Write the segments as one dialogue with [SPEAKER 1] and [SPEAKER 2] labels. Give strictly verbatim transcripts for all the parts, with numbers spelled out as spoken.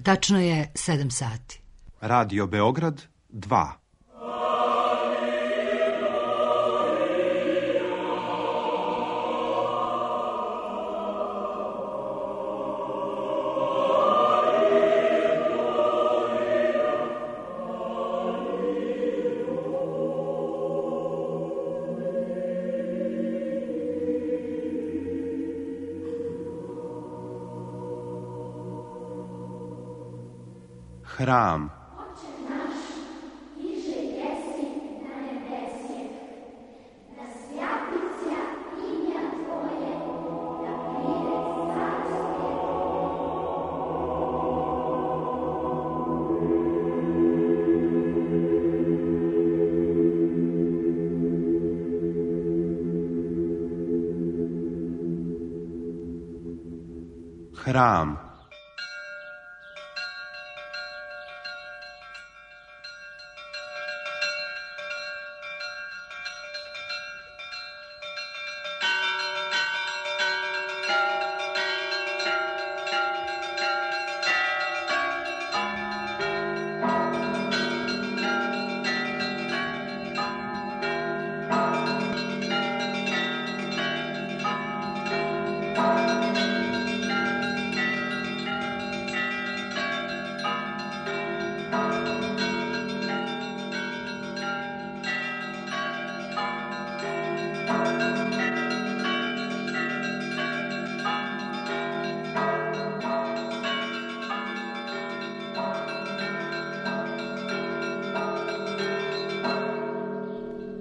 [SPEAKER 1] Tačno je sedam sati.
[SPEAKER 2] Radio Beograd dva. Hram.
[SPEAKER 3] Oče naš, iže jesi na nebesje, da svjati sja imja Tvoje, da pride carstvo.
[SPEAKER 2] Hram.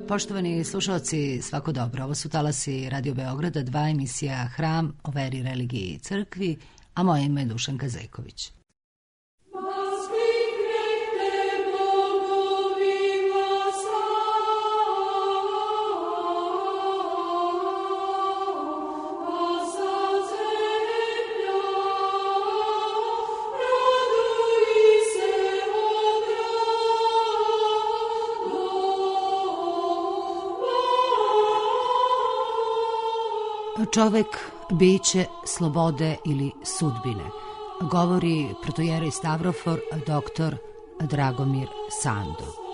[SPEAKER 1] Poštovani slušalci, svako dobro. Ovo su talasi Radio Beograda, dva emisija Hram o veri, religiji i crkvi, a moje ime je Dušanka Zejković. Čovek, biće slobode ili sudbine, govori protojerej Stavrofor doktor Dragomir Sando.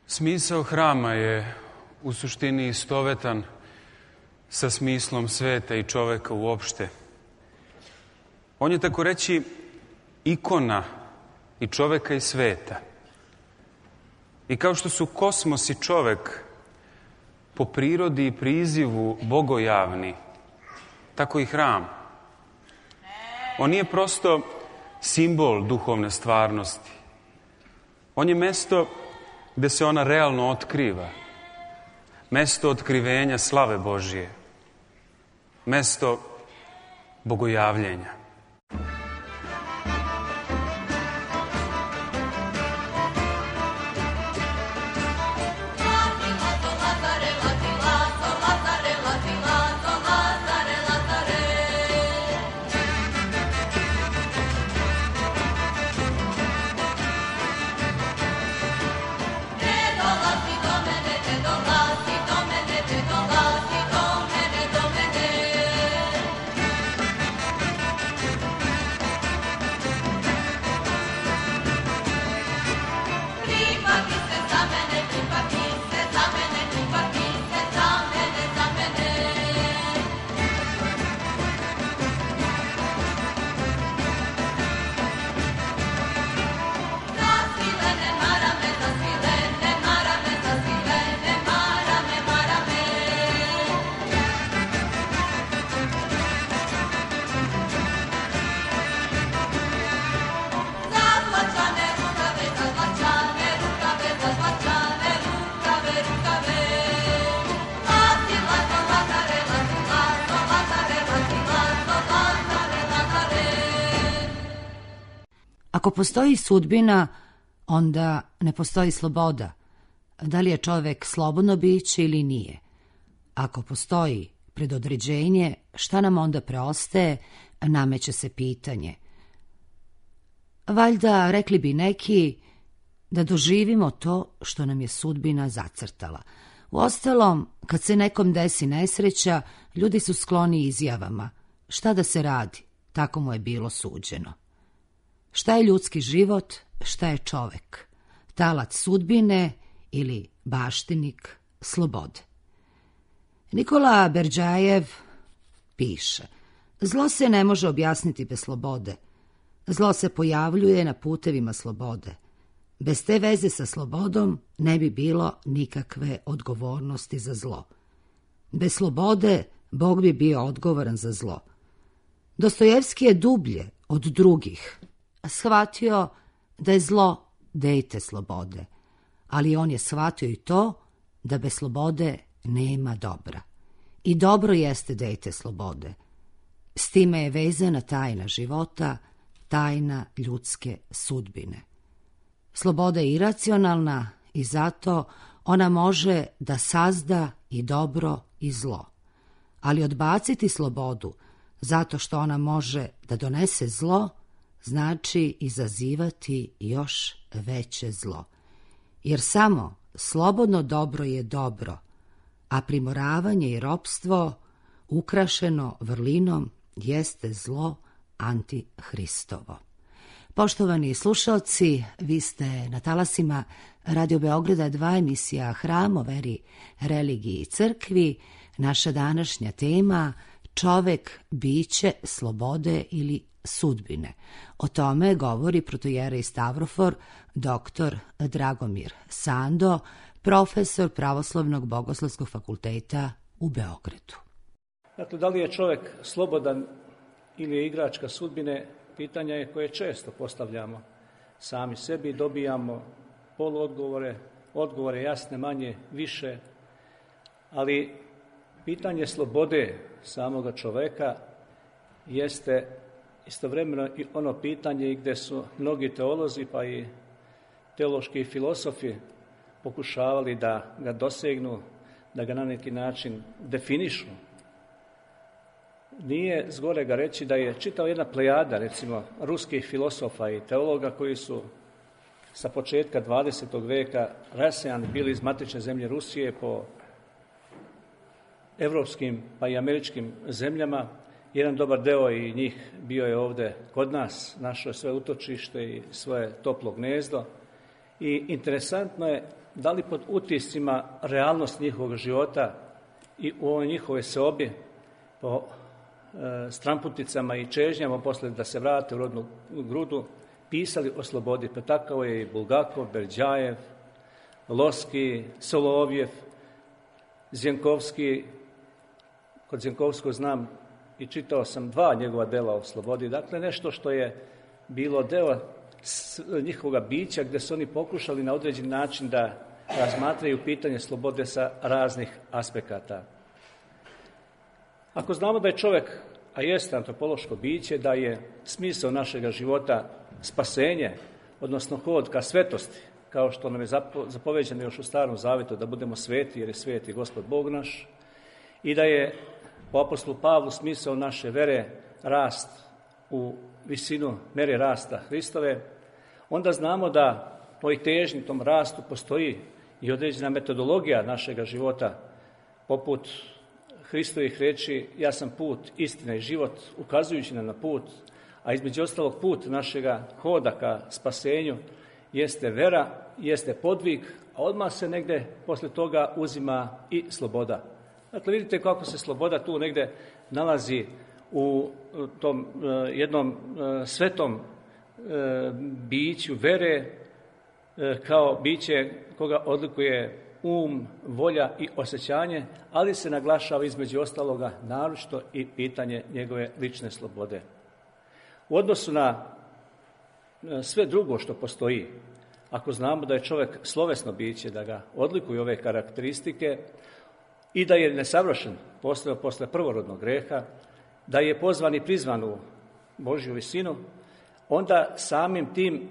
[SPEAKER 4] Smisao hrama je u suštini istovetan sa smislom sveta i čoveka uopšte. On je tako reći ikona i čoveka i sveta. I kao što su kosmos i čovek po prirodi i prizivu bogojavni, tako i hram. On nije prosto simbol duhovne stvarnosti. On je mesto gde se ona realno otkriva. Mesto otkrivenja slave Božije. Mesto bogojavljenja.
[SPEAKER 1] Ako postoji sudbina, onda ne postoji sloboda. Da li je čovek slobodno biće ili nije? Ako postoji predodređenje, šta nam onda preostaje, nameće se pitanje. Valjda, rekli bi neki, da doživimo to što nam je sudbina zacrtala. Uostalom, kad se nekom desi nesreća, ljudi su skloni izjavama. Šta da se radi? Tako mu je bilo suđeno. Šta je ljudski život, šta je čovek? Talac sudbine ili baštinik slobode? Nikola Berdjajev piše: zlo se ne može objasniti bez slobode. Zlo se pojavljuje na putevima slobode. Bez te veze sa slobodom ne bi bilo nikakve odgovornosti za zlo. Bez slobode Bog bi bio odgovoran za zlo. Dostojevski je dublje od drugih shvatio da je zlo dejte slobode, ali on je shvatio i to da bez slobode nema dobra. I dobro jeste dejte slobode. S time je vezana tajna života, tajna ljudske sudbine. Sloboda je iracionalna i zato ona može da sazda i dobro i zlo. Ali odbaciti slobodu zato što ona može da donese zlo, znači izazivati još veće zlo. Jer samo slobodno dobro je dobro, a primoravanje i ropstvo ukrašeno vrlinom jeste zlo antihristovo. Poštovani slušalci, vi ste na talasima Radio Beograda dva, emisija Hram o veri, religiji i crkvi. Naša današnja tema: čovek, biće slobode ili sudbine. O tome govori protojerej Stavrofor doktor Dragomir Sando, profesor Pravoslavnog bogoslovskog fakulteta u Beogradu.
[SPEAKER 5] Dakle, da li je čovjek slobodan ili je igračka sudbine, pitanja je koje često postavljamo sami sebi, dobijamo poluodgovore, odgovore jasne, manje, više, ali pitanje slobode samoga čoveka jeste istovremeno i ono pitanje gdje su mnogi teolozi pa i teološki filosofi pokušavali da ga dosegnu, da ga na neki način definišu. Nije zgorega reći da je čitava jedna plejada, recimo, ruskih filosofa i teologa koji su sa početka dvadesetog veka rasejani bili iz matične zemlje Rusije po evropskim pa i američkim zemljama. Jedan dobar deo i njih bio je ovdje kod nas, našao je svoje utočište i svoje toplo gnezdo. I interesantno je da li pod utiscima realnost njihovog života i u ovoj njihove seobi po e, stramputicama i čežnjama posle da se vrate u rodnu grudu pisali o slobodi. Pa tako je i Bulgakov, Berdjajev, Loski, Solovjev, Zjenkovski. Kod Zjenkovskog znam i čitao sam dva njegova dela o slobodi. Dakle, nešto što je bilo deo njihovoga bića gdje su oni pokušali na određen način da razmatraju pitanje slobode sa raznih aspekata. Ako znamo da je čovjek, a jeste antropološko biće, da je smisao našega života spasenje, odnosno hod ka svetosti, kao što nam je zapoveđeno još u Starom Zavetu da budemo sveti jer je sveti Gospod Bog naš, i da je po apostolu Pavlu smisao naše vere rast u visinu mere rasta Hristove, onda znamo da po težnji tom rastu postoji i određena metodologija našega života, poput Hristovih riječi: ja sam put, istina i život, ukazujući nam na put, a između ostalog put našega hoda ka spasenju jeste vera, jeste podvig, a odmah se negde posle toga uzima i sloboda. Dakle, vidite kako se sloboda tu negde nalazi u tom uh, jednom uh, svetom uh, biću vere, uh, kao biće koga odlikuje um, volja i osjećanje, ali se naglašava između ostaloga naročito i pitanje njegove lične slobode. U odnosu na uh, sve drugo što postoji, ako znamo da je čovjek slovesno biće, da ga odlikuju ove karakteristike i da je nesavršen posle, posle prvorodnog greha, da je pozvan i prizvan u Božju visinu, onda samim tim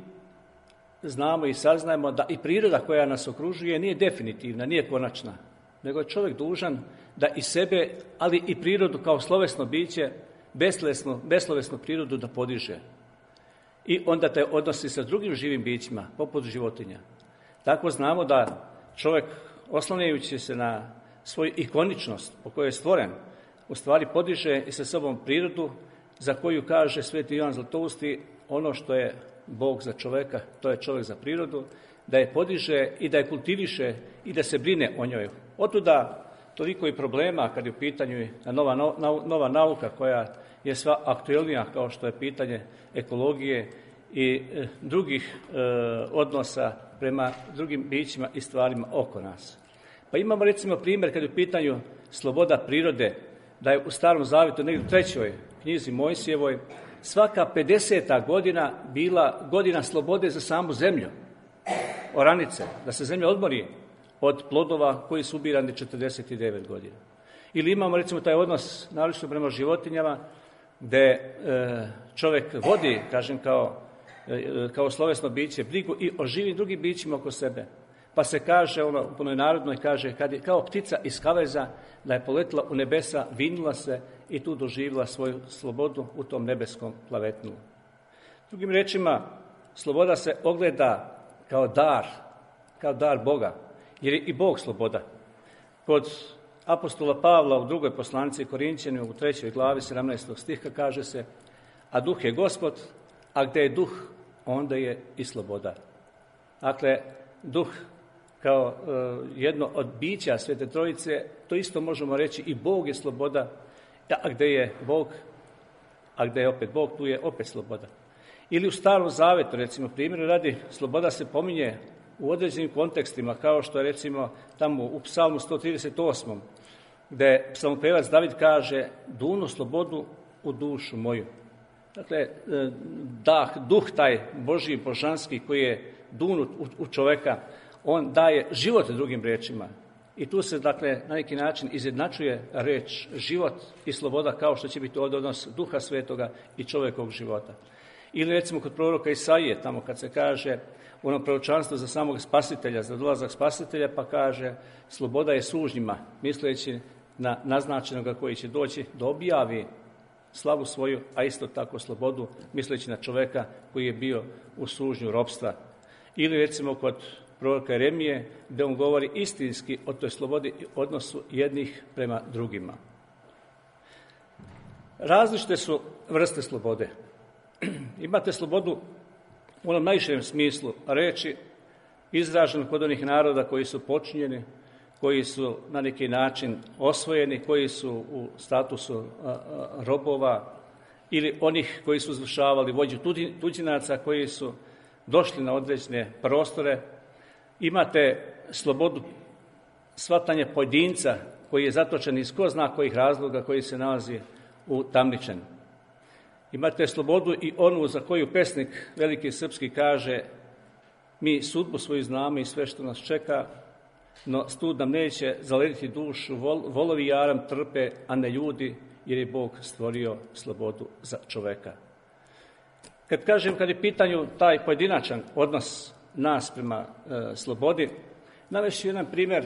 [SPEAKER 5] znamo i saznajemo da i priroda koja nas okružuje nije definitivna, nije konačna, nego je čovjek dužan da i sebe, ali i prirodu kao slovesno biće, beslovesnu, beslovesnu prirodu da podiže. I onda te odnosi sa drugim živim bićima, poput životinja. Tako znamo da čovjek, oslanjajući se na svoju ikoničnost po kojoj je stvoren, u stvari podiže i sa sobom prirodu za koju kaže sveti Ivan Zlatousti, ono što je Bog za čovjeka, to je čovjek za prirodu, da je podiže i da je kultiviše i da se brine o njoj. Otuda toliko i problema kad je u pitanju nova, nova nauka koja je sva aktuelnija, kao što je pitanje ekologije i e, drugih e, odnosa prema drugim bićima i stvarima oko nas. Pa imamo recimo primjer kad je u pitanju sloboda prirode, da je u Starom Zavetu negdje u trećoj knjizi Mojsijevoj svaka pedeseta godina bila godina slobode za samu zemlju, oranice, da se zemlja odmori od plodova koji su ubirani četrdeset devet godina. Ili imamo recimo taj odnos naročito prema životinjama gdje e, čovjek vodi, kažem kao, e, kao slovesno biće, brigu i o živim drugim bićima oko sebe. Pa se kaže, ono, u punoj narodnoj kaže, kad je kao ptica iz kaveza, da je poletila u nebesa, vinula se i tu doživjela svoju slobodu u tom nebeskom plavetnu. Drugim rečima, sloboda se ogleda kao dar, kao dar Boga, jer je i Bog sloboda. Kod apostola Pavla u drugoj poslanici Korinćanima u trećoj glavi sedamnaestog stiha kaže se, a duh je Gospod, a gdje je duh, onda je i sloboda. Dakle, duh kao uh, jedno od bića Svete Trojice, to isto možemo reći i Bog je sloboda, a gdje je Bog, a gdje je opet Bog, tu je opet sloboda. Ili u Starom Zavetu, recimo, primjeru radi, sloboda se pominje u određenim kontekstima, kao što je recimo tamo u Psalmu sto trideset osam, gdje psalmopevac David kaže, dunu slobodu u dušu moju. Dakle, dah, duh taj Božji, božanski, koji je dunut u, u čoveka, on daje život drugim riječima. I tu se, dakle, na neki način izjednačuje reč život i sloboda, kao što će biti ovdje odnos Duha Svetoga i čovjekovog života. Ili recimo kod proroka Isaije, tamo kad se kaže u onom proročanstvu za samog spasitelja, za dolazak spasitelja, pa kaže sloboda je sužnjima, misleći na naznačenoga koji će doći da objavi slavu svoju, a isto tako slobodu, misleći na čovjeka koji je bio u sužnju ropstva. Ili recimo kod proroka Jeremije, gdje on govori istinski o toj slobodi i odnosu jednih prema drugima. Različite su vrste slobode. Imate slobodu u onom najširem smislu reći, izraženu kod onih naroda koji su počinjeni, koji su na neki način osvojeni, koji su u statusu a, a, robova, ili onih koji su izvršavali vođu tuđinaca, koji su došli na određene prostore. Imate slobodu shvatanja pojedinca koji je zatočen iz ko zna kojih razloga, koji se nalazi u tamničenu. Imate slobodu i onu za koju pesnik veliki srpski kaže, mi sudbu svoju znamo i sve što nas čeka, no stud nam neće zalediti dušu, vol, volovi jaram trpe, a ne ljudi, jer je Bog stvorio slobodu za čoveka. Kad kažem, kad je pitanju taj pojedinačan odnos nas prema e, slobodi, navešću jedan primjer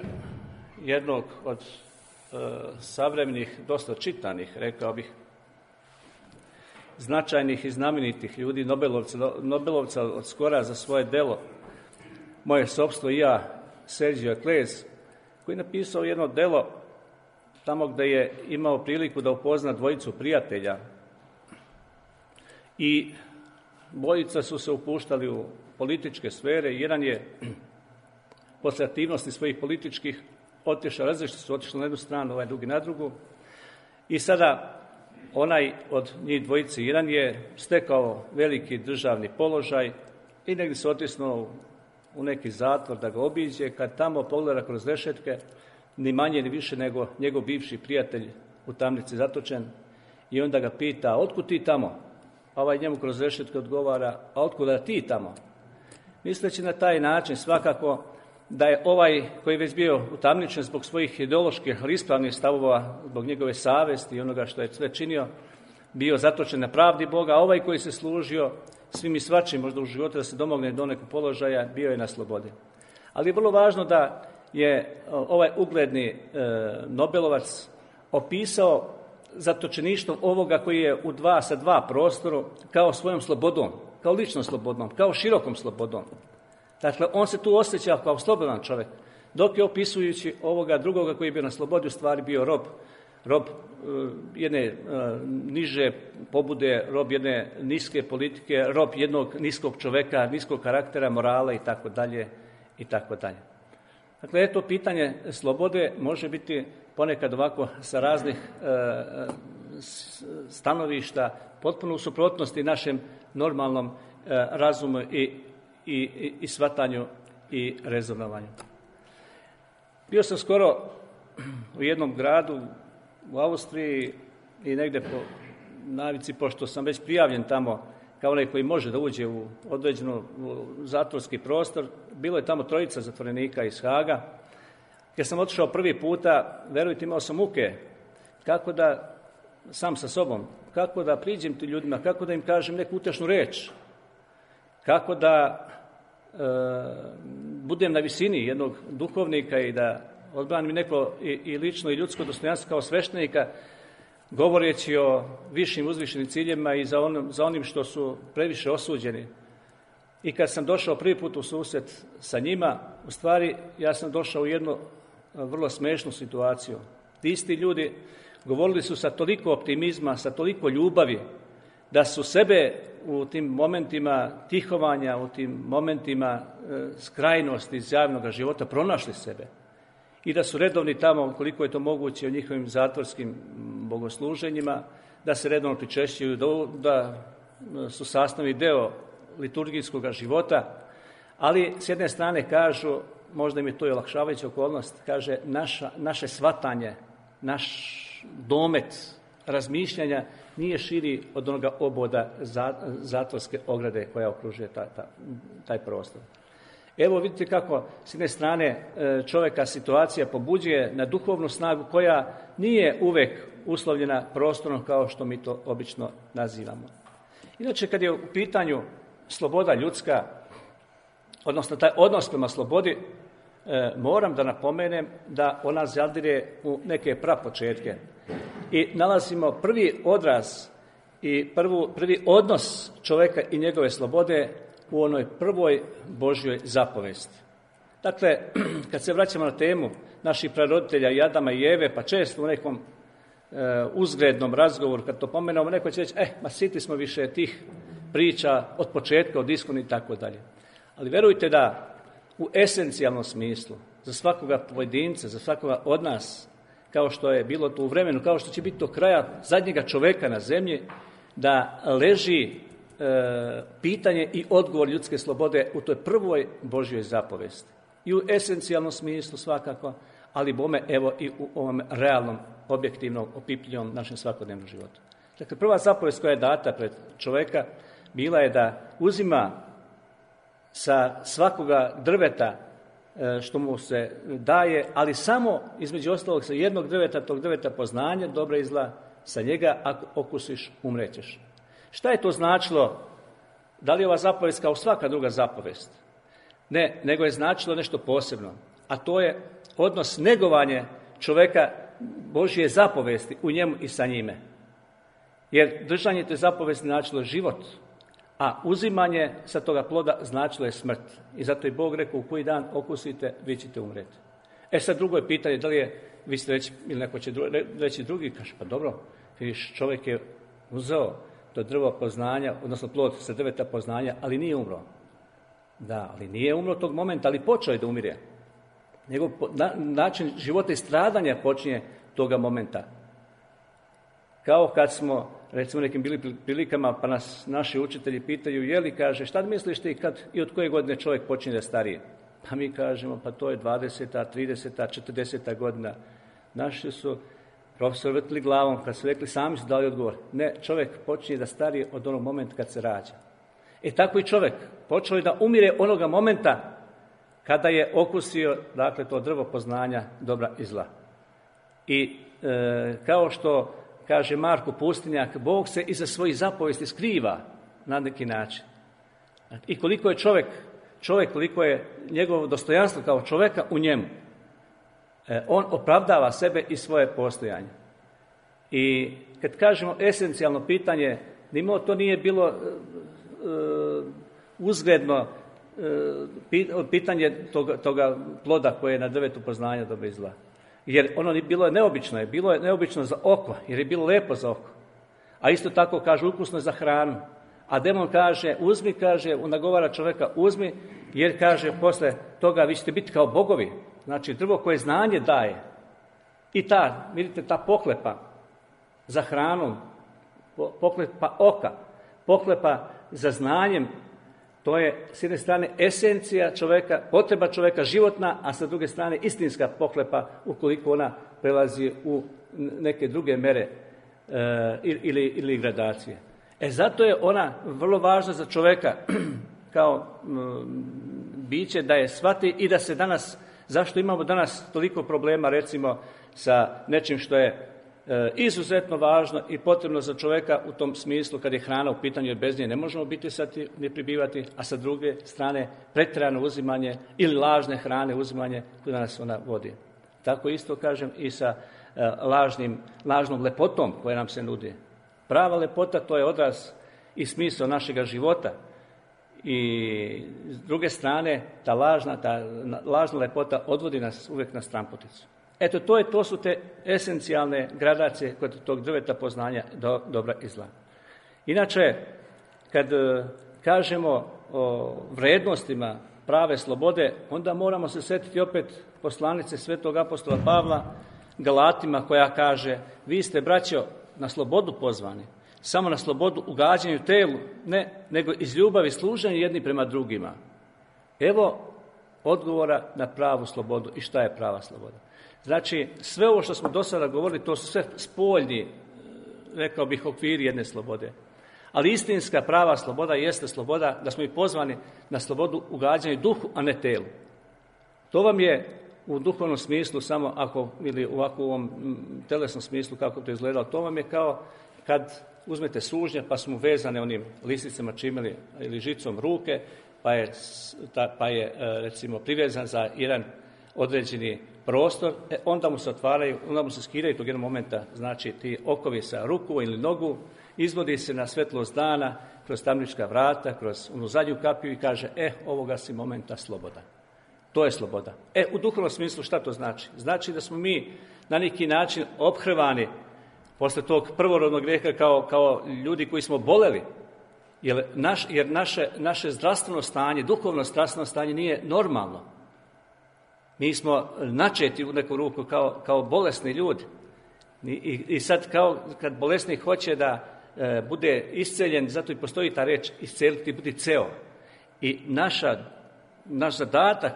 [SPEAKER 5] jednog od e, savremenih, dosta čitanih, rekao bih, značajnih i znamenitih ljudi, Nobelovca, Nobelovca od skora za svoje delo, moje sopstvo i ja, Sergio Klez, koji je napisao jedno delo tamo gdje je imao priliku da upozna dvojicu prijatelja i dvojica su se upuštali u političke sfere. Jedan je posle aktivnosti svojih političkih otišao, različiti su otišli na jednu stranu, ovaj drugi na drugu, i sada onaj od njih dvojice, jedan je stekao veliki državni položaj i negdje se otisnuo u neki zatvor da ga obiđe, kad tamo pogleda kroz rešetke, ni manje ni više nego njegov bivši prijatelj u tamnici zatočen, i onda ga pita, otkud ti tamo? A ovaj njemu kroz rešetke odgovara, a otkuda ti tamo? Misleći na taj način svakako da je ovaj koji je već bio utamničen zbog svojih ideoloških ali ispravnih stavova, zbog njegove savesti i onoga što je sve činio, bio zatočen na pravdi Boga, a ovaj koji se služio svim i svačim možda u životu da se domogne do nekog položaja, bio je na slobodi. Ali je vrlo važno da je ovaj ugledni e, Nobelovac opisao zatočeništvo ovoga koji je u dva sa dva prostoru kao svojom slobodom, kao ličnom slobodom, kao širokom slobodom. Dakle, on se tu osjeća kao slobodan čovjek, dok je opisujući ovoga drugoga koji je bio na slobodi u stvari bio rob, rob uh, jedne uh, niže pobude, rob jedne niske politike, rob jednog niskog čovjeka, niskog karaktera, morala i tako dalje i tako dalje. Dakle, eto, pitanje slobode može biti ponekad ovako sa raznih uh, stanovišta potpuno u suprotnosti našem normalnom uh, razumu i, i, i shvatanju i rezonovanju. Bio sam skoro u jednom gradu u Austriji i negde po navici, pošto sam već prijavljen tamo kao onaj koji može da uđe u određenu zatvorski prostor, bilo je tamo trojica zatvorenika iz Haga. Kad sam otišao prvi puta, verujte, imao sam muke kako da, sam sa sobom, kako da priđem ti ljudima, kako da im kažem neku utešnu reč, kako da e, budem na visini jednog duhovnika i da odbranim neko i, i lično i ljudsko dostojanstvo kao sveštenika, govoreći o višim uzvišenim ciljevima i za, onom, za onim što su previše osuđeni. I kad sam došao prvi put u susret sa njima, u stvari ja sam došao u jednu vrlo smešnu situaciju. Ti isti ljudi govorili su sa toliko optimizma, sa toliko ljubavi, da su sebe u tim momentima tihovanja, u tim momentima e, skrajnosti iz javnog života pronašli sebe. I da su redovni tamo, koliko je to moguće, u njihovim zatvorskim bogosluženjima, da se redovno pričešćuju, da, da su sastavni deo liturgijskog života, ali s jedne strane kažu, možda im je to i olakšavajuća okolnost, kaže naša, naše shvatanje, naš domet razmišljanja nije širi od onoga oboda zatvorske ograde koja okružuje ta, ta, taj prostor. Evo vidite kako s jedne strane čovjeka situacija pobuđuje na duhovnu snagu koja nije uvek uslovljena prostorom kao što mi to obično nazivamo. Inače, kad je u pitanju sloboda ljudska, odnosno taj odnos prema slobodi, e, moram da napomenem da ona zadire u neke prapočetke. I nalazimo prvi odraz i prvu, prvi odnos čovjeka i njegove slobode u onoj prvoj Božjoj zapovesti. Dakle, kad se vraćamo na temu naših praroditelja i Adama i Eve, pa često u nekom e, uzgrednom razgovoru, kad to pomenemo, neko će reći, eh, ma siti smo više tih priča od početka, od iskona i tako dalje. Ali verujte da u esencijalnom smislu, za svakoga pojedinca, za svakoga od nas, kao što je bilo to u vremenu, kao što će biti do kraja zadnjega čoveka na zemlji, da leži e, pitanje i odgovor ljudske slobode u toj prvoj Božjoj zapovesti. I u esencijalnom smislu svakako, ali bome evo i u ovom realnom, objektivnom, opipljivom našem svakodnevnom životu. Dakle, prva zapovest koja je data pred čoveka bila je da uzima sa svakoga drveta što mu se daje, ali samo između ostalog sa jednog drveta, tog drveta poznanja, dobra i zla, sa njega ako okusiš, umrećeš. Šta je to značilo? Da li je ova zapovest kao svaka druga zapovest? Ne, nego je značilo nešto posebno, a to je odnos negovanje čoveka Božje zapovesti u njemu i sa njime. Jer držanje te zapovesti značilo život, a uzimanje sa toga ploda značilo je smrt. I zato je Bog rekao, u koji dan okusite, vi ćete umreti. E sad drugo je pitanje, da li je, vi ste reći, ili neko će reći drugi, kaže, pa dobro, vidiš, čovjek je uzeo to drvo poznanja, odnosno plod sa drveta poznanja, ali nije umro. Da, ali nije umro tog momenta, ali počeo je da umire. Njegov na, način života i stradanja počinje toga momenta. Kao kad smo, recimo, nekim bili prilikama, pa nas naši učitelji pitaju, je li, kaže, šta misliš ti kad i od koje godine čovjek počinje da starije? Pa mi kažemo, pa to je dvadeseta, trideseta, četrdeseta godina. Naši su profesor vrtili glavom, kad su rekli, sami su dali odgovor. Ne, čovjek počinje da starije od onog momenta kad se rađa. E tako i čovjek počeo je da umire onoga momenta kada je okusio, dakle, to drvo poznanja dobra i zla. I e, kao što kaže Marko Pustinjak, Bog se iza svojih zapovesti skriva na neki način. I koliko je čovjek, čovjek koliko je njegovo dostojanstvo kao čovjeka u njemu. On opravdava sebe i svoje postojanje. I kad kažemo esencijalno pitanje, nimalo to nije bilo uh, uzgledno uh, pitanje toga, toga ploda koje je na drvetu poznanja dobra i zla. Jer ono bilo je neobično, je bilo je neobično za oko, jer je bilo lepo za oko. A isto tako kaže ukusno je za hranu. A demon kaže, uzmi, kaže, nagovara čovjeka, uzmi, jer kaže posle toga vi ćete biti kao bogovi. Znači drvo koje znanje daje. I ta, vidite, ta pohlepa za hranom, pohlepa oka, pohlepa za znanjem, to je s jedne strane esencija čovjeka, potreba čovjeka životna, a sa druge strane istinska pohlepa ukoliko ona prelazi u neke druge mere e, ili, ili gradacije. E zato je ona vrlo važna za čovjeka kao m, biće da je shvati i da se danas, zašto imamo danas toliko problema recimo sa nečim što je e, izuzetno važno i potrebno za čovjeka u tom smislu kad je hrana u pitanju, jer bez nje ne možemo biti sati, ne pribivati, a sa druge strane pretjerano uzimanje ili lažne hrane uzimanje koje nas ona vodi. Tako isto kažem i sa e, lažnim, lažnom lepotom koja nam se nudi. Prava lepota to je odraz i smisao našega života. I s druge strane, ta lažna, ta lažna lepota odvodi nas uvijek na stranputicu. Eto, to, je, to su te esencijalne gradacije kod tog drveta poznanja do, dobra i zla. Inače, kad e, kažemo o vrednostima prave slobode, onda moramo se sjetiti opet poslanice svetog apostola Pavla Galatima koja kaže, vi ste, braćo, na slobodu pozvani, samo na slobodu u gađanju telu, ne, nego iz ljubavi služenja jedni prema drugima. Evo odgovora na pravu slobodu i šta je prava sloboda. Znači, sve ovo što smo do sada govorili, to su sve spoljni, rekao bih, okviri jedne slobode. Ali istinska prava sloboda jeste sloboda da smo i pozvani na slobodu u gađanju duhu, a ne telu. To vam je u duhovnom smislu samo ako, ili u ovakvom telesnom smislu kako to izgledalo, to vam je kao kad uzmete sužnje pa su mu vezane onim lisicama čimeli ili žicom ruke, pa je, ta, pa je recimo privezan za jedan određeni prostor, e, onda mu se otvaraju, onda mu se skidaju tog jednog momenta, znači ti okovi sa ruku ili nogu, izvodi se na svetlost dana, kroz tamnička vrata, kroz onu zadnju kapiju i kaže, e, ovoga si momenta sloboda. To je sloboda. E, u duhovnom smislu šta to znači? Znači da smo mi na neki način ophrvani posle tog prvorodnog grijeha kao, kao ljudi koji smo boleli, jer, naš, jer naše, naše zdravstveno stanje, duhovno zdravstveno stanje nije normalno. Mi smo načeti u neku ruku kao, kao bolesni ljudi. I, i, i sad kao kad bolesnik hoće da e, bude isceljen, zato i postoji ta reč isceliti, biti ceo. I naša, naš zadatak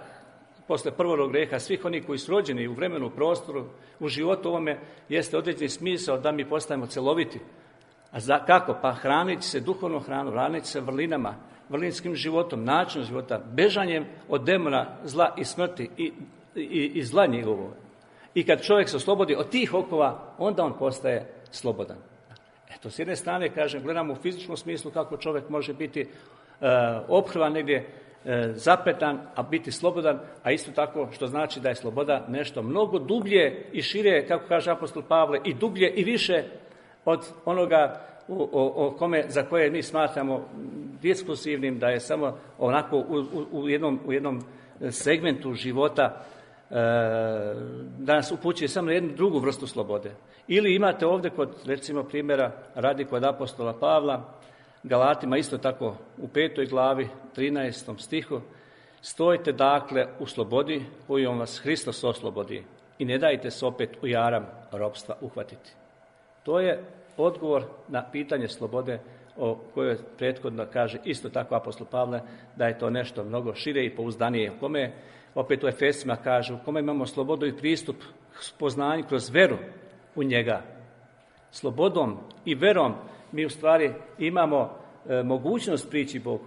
[SPEAKER 5] posle prvorodnog grijeha, svih onih koji su rođeni u vremenu, u prostoru, u životu ovome, jeste određeni smisao da mi postajemo celoviti. A za, kako? Pa hraniti se duhovnom hranom, hraniti se vrlinama, vrlinskim životom, načinom života, bežanjem od demona, zla i smrti i, i, i zla njegovog. I kad čovjek se oslobodi od tih okova, onda on postaje slobodan. Eto, s jedne strane, kažem, gledamo u fizičkom smislu kako čovjek može biti uh, ophrvan negdje, zapetan, a biti slobodan, a isto tako što znači da je sloboda nešto mnogo dublje i šire, kako kaže apostol Pavle, i dublje i više od onoga o, o, o kome, za koje mi smatramo diskusivnim, da je samo onako u, u, u, jednom, u jednom segmentu života e, da nas upućuje samo na jednu drugu vrstu slobode. Ili imate ovdje kod, recimo, primjera radi kod apostola Pavla, Galatima isto tako u petoj glavi, trinaestom stihu, stojite dakle u slobodi kojom vas Hristos oslobodi i ne dajte se opet u jaram ropstva uhvatiti. To je odgovor na pitanje slobode o kojoj prethodno kaže isto tako apostol Pavle da je to nešto mnogo šire i pouzdanije. U kome, opet u Efesima kaže, u kome imamo slobodu i pristup spoznanju kroz veru u njega. Slobodom i verom mi u stvari imamo e, mogućnost prići Bogu.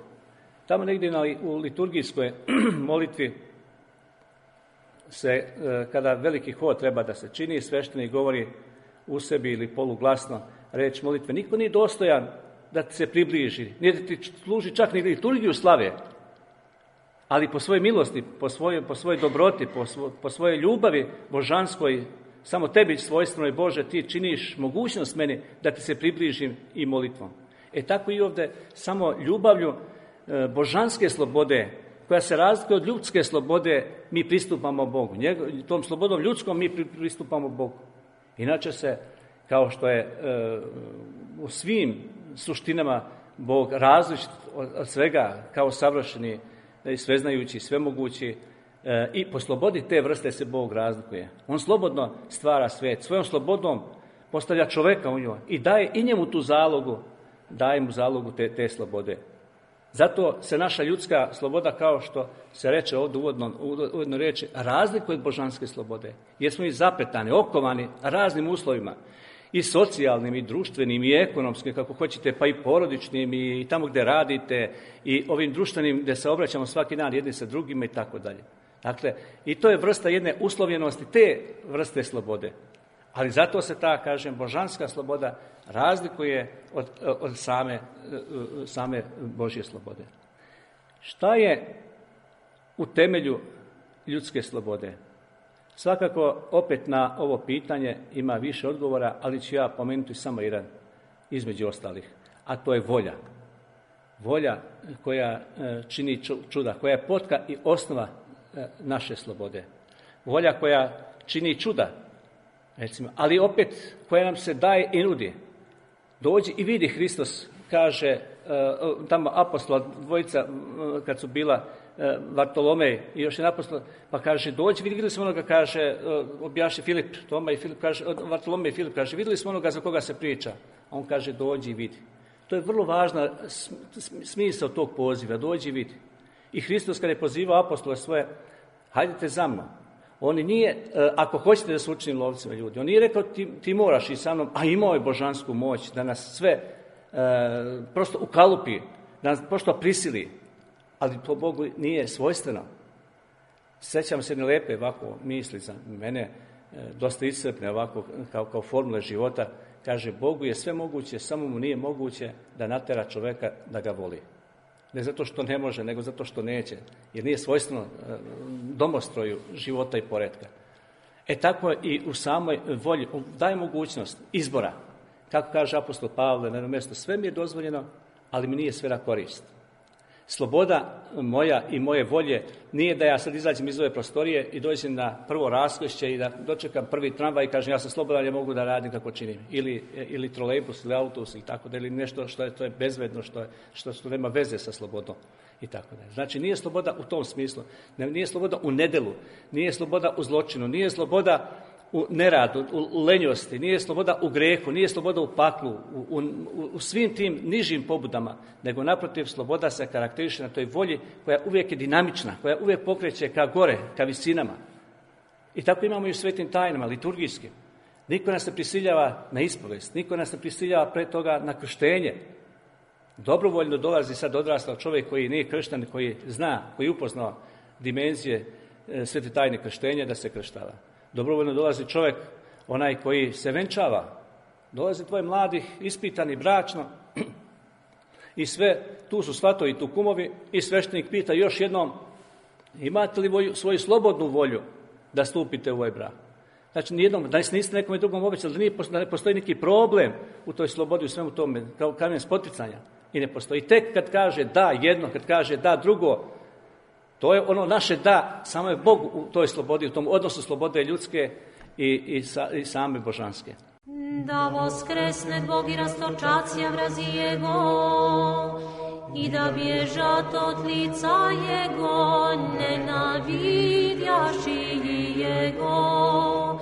[SPEAKER 5] Tamo negdje na, u liturgijskoj molitvi se, e, kada veliki hod treba da se čini, sveštenik govori u sebi ili poluglasno reč molitve. Niko nije dostojan da ti se približi, nije da ti služi čak ni liturgiju slave, ali po svojoj milosti, po svojoj, po svojoj dobroti, po, svo, po svojoj ljubavi božanskoj, samo tebi svojstvenoj Bože, ti činiš mogućnost meni da ti se približim i molitvom. E tako i ovdje, samo ljubavlju e, božanske slobode, koja se razlikuje od ljudske slobode, mi pristupamo Bogu. Njego, tom slobodom ljudskom mi pristupamo Bogu. Inače se, kao što je e, u svim suštinama Bog različit od, od svega, kao savršeni i sveznajući, svemogući, e, i po slobodi te vrste se Bog razlikuje. On slobodno stvara svijet, svojom slobodom postavlja čoveka u njoj i daje i njemu tu zalogu, daje mu zalogu te, te slobode. Zato se naša ljudska sloboda, kao što se reče ovdje uvodno, uvodno reči, razlikuje od božanske slobode. Jer smo i zapetani, okovani raznim uslovima, i socijalnim, i društvenim, i ekonomskim, kako hoćete, pa i porodičnim, i tamo gdje radite, i ovim društvenim gdje se obraćamo svaki dan jedni sa drugima i tako dalje. Dakle, i to je vrsta jedne uslovljenosti, te vrste slobode. Ali zato se ta, kažem, božanska sloboda razlikuje od, od same, same Božje slobode. Šta je u temelju ljudske slobode? Svakako, opet na ovo pitanje ima više odgovora, ali ću ja pomenuti samo jedan između ostalih, a to je volja. Volja koja čini čuda, koja je potka i osnova naše slobode. Volja koja čini čuda, recimo, ali opet koja nam se daje i nudi. Dođi i vidi, Hristos kaže, tamo apostola dvojica kad su bila Vartolomej i još jedan apostol, pa kaže, dođi, vidjeli smo onoga, kaže, objaši Filip, Toma i Filip, kaže, Vartolomej i Filip, kaže, vidjeli smo onoga za koga se priča. A on kaže, dođi i vidi. To je vrlo važna smisao tog poziva, dođi i vidi. I Hristos kada je pozivao apostole svoje, hajdete za mnom. On nije, ako hoćete da se učinim lovcima ljudi, on nije rekao ti, ti moraš i sa mnom, a imao je božansku moć da nas sve e, prosto ukalupi, da nas prosto prisili, ali to Bogu nije svojstveno. Sjećam se jedne lepe ovako misli za mene, e, dosta iscrpne ovako kao, kao formule života, kaže, Bogu je sve moguće, samo mu nije moguće da natera čoveka da ga voli. Ne zato što ne može, nego zato što neće. Jer nije svojstveno domostroju života i poretka. E tako i u samoj volji daje mogućnost izbora. Kako kaže apostol Pavle na jednom mjestu, sve mi je dozvoljeno, ali mi nije sve na korist. Sloboda moja i moje volje nije da ja sad izađem iz ove prostorije i dođem na prvo raskrišće i da dočekam prvi tramvaj i kažem ja sam slobodan, ja mogu da radim kako činim. Ili, ili trolejbus ili autobus ili tako da, ili nešto što je, to je bezvedno, što, je, što, što nema veze sa slobodom i tako da. Znači nije sloboda u tom smislu, nije sloboda u nedelu, nije sloboda u zločinu, nije sloboda u neradu, u lenjosti, nije sloboda u grehu, nije sloboda u paklu, u, u, u svim tim nižim pobudama, nego naprotiv sloboda se karakteriše na toj volji koja uvijek je dinamična, koja uvijek pokreće ka gore, ka visinama. I tako imamo i u svetim tajnama, liturgijskim. Niko nas ne prisiljava na ispovest, niko nas ne prisiljava pre toga na krštenje. Dobrovoljno dolazi sad odrastao čovjek koji nije kršten, koji zna, koji je upoznao dimenzije e, svete tajne krštenja da se krštava. Dobrovoljno dolazi čovjek, onaj koji se venčava. Dolazi tvoj mladih, ispitani bračno i sve, tu su svatovi i tu kumovi i sveštenik pita još jednom, imate li volju, svoju slobodnu volju da stupite u ovaj brak? Znači, nijednom, da niste nekom drugom obećali, da, nije, da ne postoji neki problem u toj slobodi, u svemu tome, kao kamen spoticanja. I ne postoji. Tek kad kaže da jedno, kad kaže da drugo, to je ono naše da, samo je Bog u toj slobodi, u tom odnosu slobode ljudske i, i, sa, i same božanske.
[SPEAKER 6] Da voskresne Bog i rastočacija vrazi Jego i da bježat od lica Jego, nenavidjaši Jego.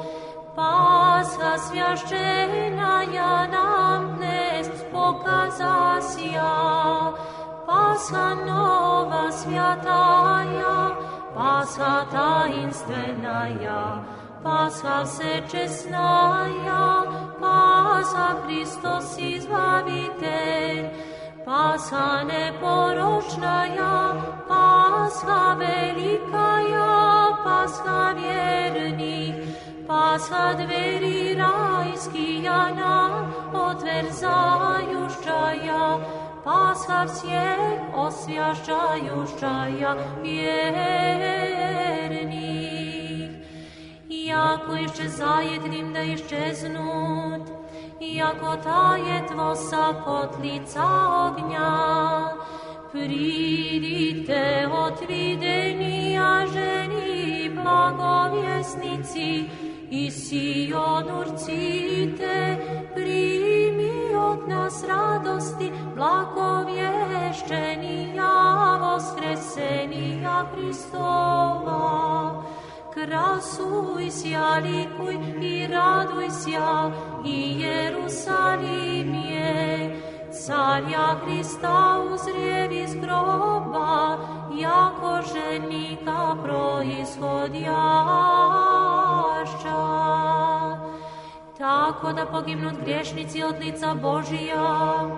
[SPEAKER 6] Pasha svjašćena ja nam dnes pokazasija, Pasha nova svjataja, Pasha tajinstvenaja, Pasha všečesnaja, Pasha Hristos izbavitelj, Pasha neporočnaja, Pasha velikaja, Pasha vjernih, Pasha dveri rajskija nam otverzajušćaja, sav svijet osvjašćajušćaja vjernih. Jako iščezajednim da iščeznut, jako tajetvo sa kotlica ognja, pridite otvidenija ženi blagovjesnici i Sion urcite, primi od nas radosti blagovješćenija voskresenija Hristova. Krasuj sja, likuj i raduj sja i Jerusalim je, carja Hrista uzrijev iz groba, jako ženika proizhodjašća. Tako da pognut griješnici od lica Božija,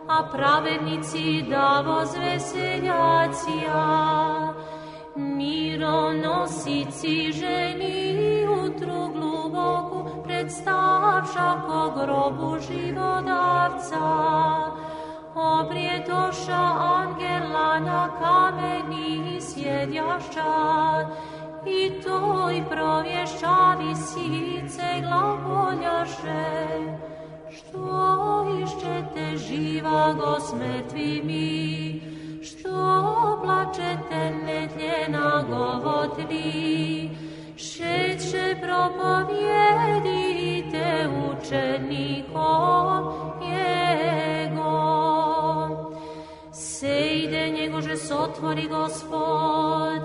[SPEAKER 6] a pravednici da vozveseljacija. Mironosici ženi utru gluboku predstavša ko grobu živodavca. Obrijetoša angela na kameni sjedjašća, i toj provješćavi sice glagoljaše. Što išćete živa go s mrtvimi, što plačete netljena govotli, šeće propovijedite učenikom jego. Sejde njegože sotvori Gospod,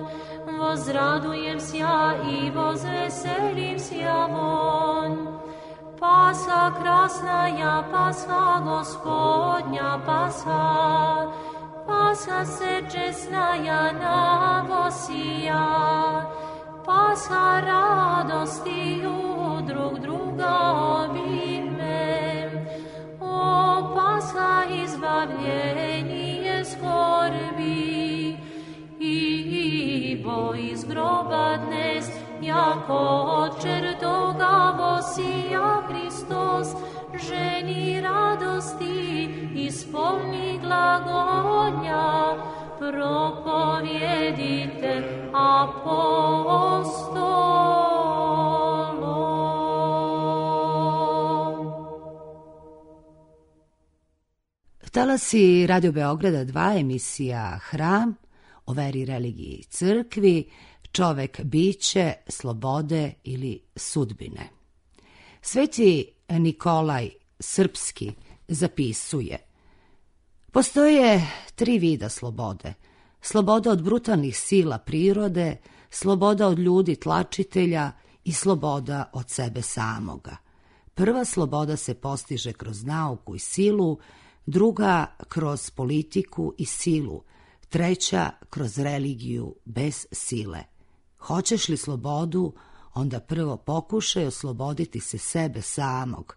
[SPEAKER 6] vozradujem sja i vozveselim sja von. Pasha krasnaja, pasha Gospodnja, pasha, pasha se česnaja navosija, pasha radostiju drug druga obime. O pasha izbavljenje skorbi, i bo iz groba dnes, jako od čertoga vosija Hristos, ženi radosti, ispolni glagonja, propovijedite apostolom.
[SPEAKER 1] Talasi Radio Beograda dva, emisija Hram, o veri, religiji i crkvi, čovek biće, slobode ili sudbine. Sveti Nikolaj Srpski zapisuje: postoje tri vida slobode. Sloboda od brutalnih sila prirode, sloboda od ljudi tlačitelja i sloboda od sebe samoga. Prva sloboda se postiže kroz nauku i silu, druga kroz politiku i silu, treća kroz religiju bez sile. Hoćeš li slobodu, onda prvo pokušaj osloboditi se sebe samog.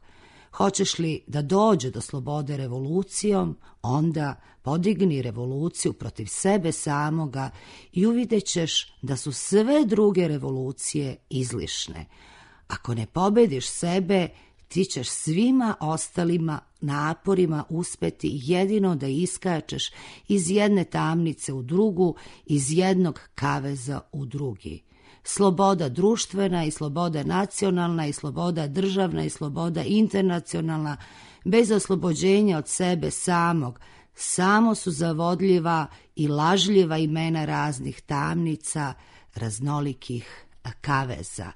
[SPEAKER 1] Hoćeš li da dođe do slobode revolucijom, onda podigni revoluciju protiv sebe samoga i uvidjet ćeš da su sve druge revolucije izlišne. Ako ne pobediš sebe, ti ćeš svima ostalima naporima uspeti jedino da iskačeš iz jedne tamnice u drugu, iz jednog kaveza u drugi. Sloboda društvena i sloboda nacionalna i sloboda državna i sloboda internacionalna, bez oslobođenja od sebe samog, samo su zavodljiva i lažljiva imena raznih tamnica, raznolikih kaveza.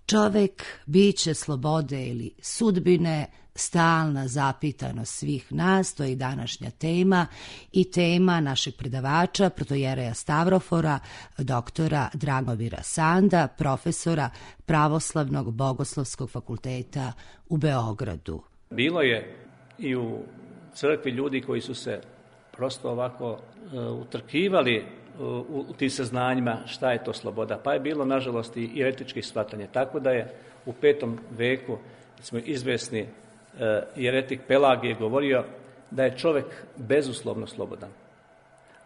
[SPEAKER 1] Čovek, biće slobode ili sudbine, stalna zapitanost svih nas, to je i današnja tema i tema našeg predavača, protojereja Stavrofora, doktora Dragomira Sanda, profesora Pravoslavnog bogoslovskog fakulteta u Beogradu.
[SPEAKER 5] Bilo je i u crkvi ljudi koji su se prosto ovako uh, utrkivali u, u tim saznanjima šta je to sloboda. Pa je bilo, nažalost, i jeretičkih shvatanja. Tako da je u petom veku, smo izvesni, uh, jeretik Pelagije govorio da je čovjek bezuslovno slobodan.